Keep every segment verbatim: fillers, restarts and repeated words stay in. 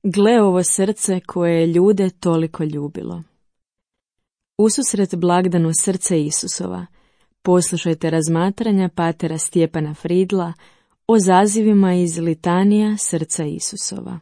Gle ovo srce koje je ljude toliko ljubilo. Ususret blagdanu srce Isusova, poslušajte razmatranja patera Stjepana Fridla o zazivima iz litanija srca Isusova.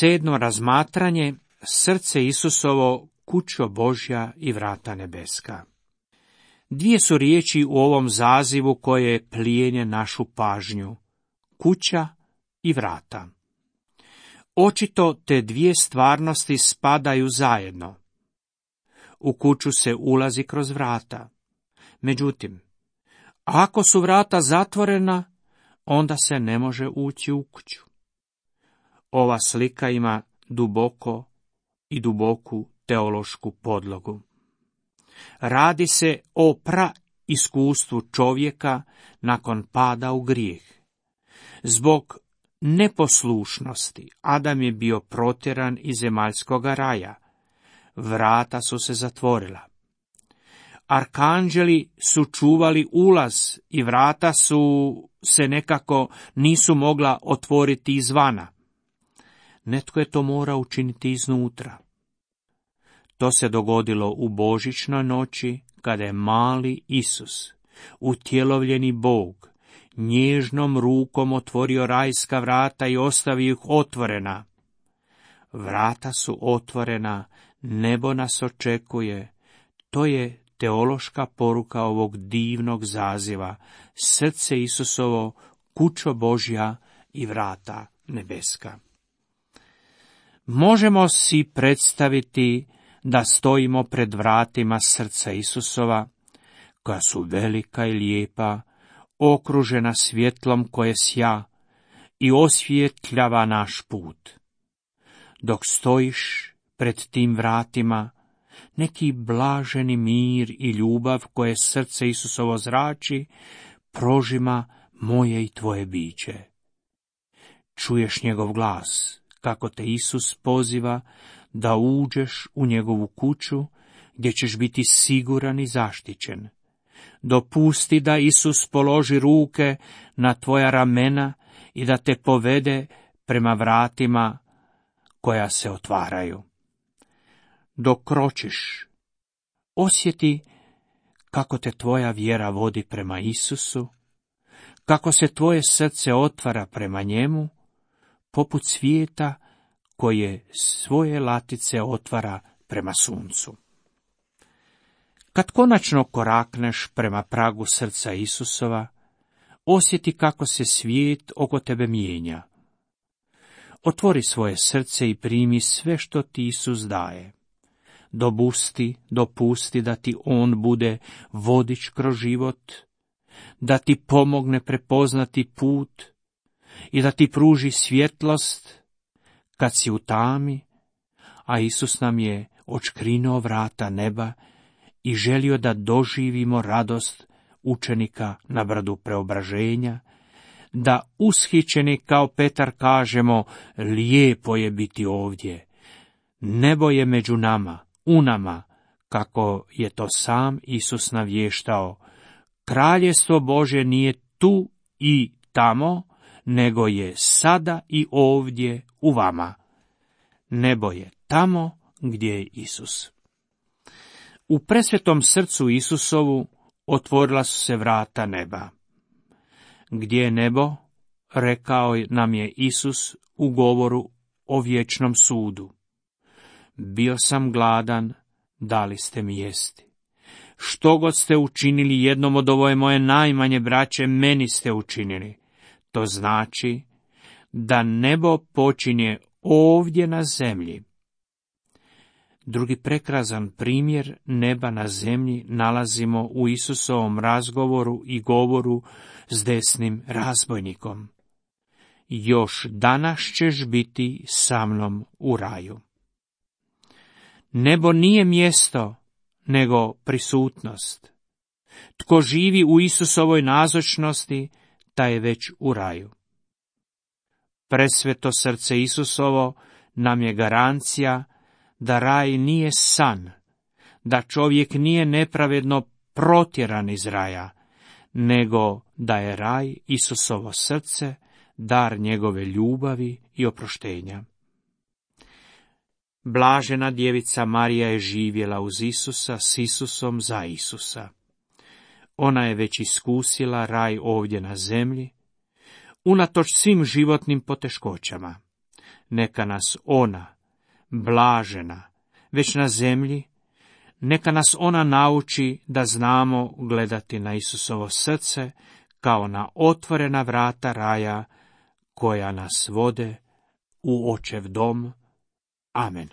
Sedmo razmatranje, srce Isusovo, kućo Božja i vrata nebeska. Dvije su riječi u ovom zazivu koje plijene našu pažnju, kuća i vrata. Očito te dvije stvarnosti spadaju zajedno. U kuću se ulazi kroz vrata. Međutim, ako su vrata zatvorena, onda se ne može ući u kuću. Ova slika ima duboko i duboku teološku podlogu. Radi se o praiskustvu čovjeka nakon pada u grijeh. Zbog neposlušnosti Adam je bio protjeran iz zemaljskoga raja. Vrata su se zatvorila. Arkanđeli su čuvali ulaz i vrata su se nekako nisu mogla otvoriti izvana. Netko je to morao učiniti iznutra. To se dogodilo u božićnoj noći, kada je mali Isus, utjelovljeni Bog, nježnom rukom otvorio rajska vrata i ostavio ih otvorena. Vrata su otvorena, nebo nas očekuje. To je teološka poruka ovog divnog zaziva, srce Isusovo, kućo Božja i vrata nebeska. Možemo si predstaviti da stojimo pred vratima srca Isusova, koja su velika i lijepa, okružena svjetlom koje sja i osvjetljava naš put. Dok stojiš pred tim vratima, neki blaženi mir i ljubav koje srce Isusovo zrači, prožima moje i tvoje biće. Čuješ njegov glas, kako te Isus poziva da uđeš u njegovu kuću, gdje ćeš biti siguran i zaštićen. Dopusti da Isus položi ruke na tvoja ramena i da te povede prema vratima koja se otvaraju. Dok kročiš, osjeti kako te tvoja vjera vodi prema Isusu, kako se tvoje srce otvara prema njemu, poput svijeta koje svoje latice otvara prema suncu. Kad konačno korakneš prema pragu srca Isusova, osjeti kako se svijet oko tebe mijenja. Otvori svoje srce i primi sve što ti Isus daje. Dopusti, dopusti da ti on bude vodič kroz život, da ti pomogne prepoznati put i da ti pruži svjetlost kad si u tami, a Isus nam je odškrinuo vrata neba i želio da doživimo radost učenika na brdu preobraženja, da ushićeni kao Petar kažemo, lijepo je biti ovdje, nebo je među nama, u nama, kako je to sam Isus navještao. Kraljestvo Božje nije tu i tamo, nego je sada i ovdje u vama. Nebo je tamo gdje je Isus. U presvetom srcu Isusovu otvorila su se vrata neba. Gdje je nebo, rekao nam je Isus u govoru o vječnom sudu. Bio sam gladan, dali ste mi jesti. Što god ste učinili jednom od ove moje najmanje braće, meni ste učinili. To znači da nebo počinje ovdje na zemlji. Drugi prekrasan primjer neba na zemlji nalazimo u Isusovom razgovoru i govoru s desnim razbojnikom. Još danas ćeš biti sa mnom u raju. Nebo nije mjesto, nego prisutnost. Tko živi u Isusovoj nazočnosti, taj je već u raju. Presveto srce Isusovo nam je garancija da raj nije san, da čovjek nije nepravedno protjeran iz raja, nego da je raj Isusovo srce, dar njegove ljubavi i oproštenja. Blažena djevica Marija je živjela uz Isusa, s Isusom, za Isusa. Ona je već iskusila raj ovdje na zemlji, unatoč svim životnim poteškoćama. Neka nas ona, blažena, već na zemlji, neka nas ona nauči da znamo gledati na Isusovo srce kao na otvorena vrata raja koja nas vode u Očev dom. Amen.